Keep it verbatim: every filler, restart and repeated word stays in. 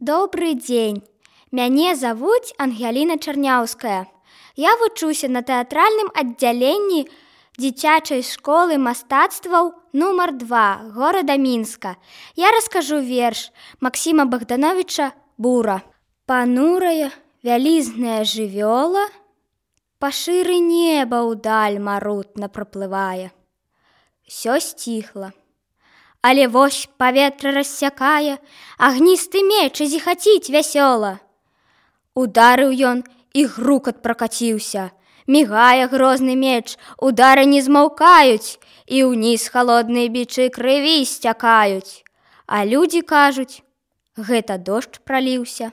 Добрый дзень. Мяне завуць Ангеліна Чарняўская. Я вучуся на тэатральным аддзяленні дзіцячай школы мастацтваў нумар два горада Мінска. Я раскажу верш Максіма Богдановича «Бура». Панурая вялізная жывёла па шыры неба ўдаль марутна праплывае. Всё сціхла. Але вось паветра рассякае, агністы меч і зіхаціць вясёла. Ударыў ён, і грукат пракаціўся. Мігае грозны меч, удары не змаўкаюць, і ўніз халодныя бічы крыві сцякаюць. А людзі кажуць, гэта дождж праліўся.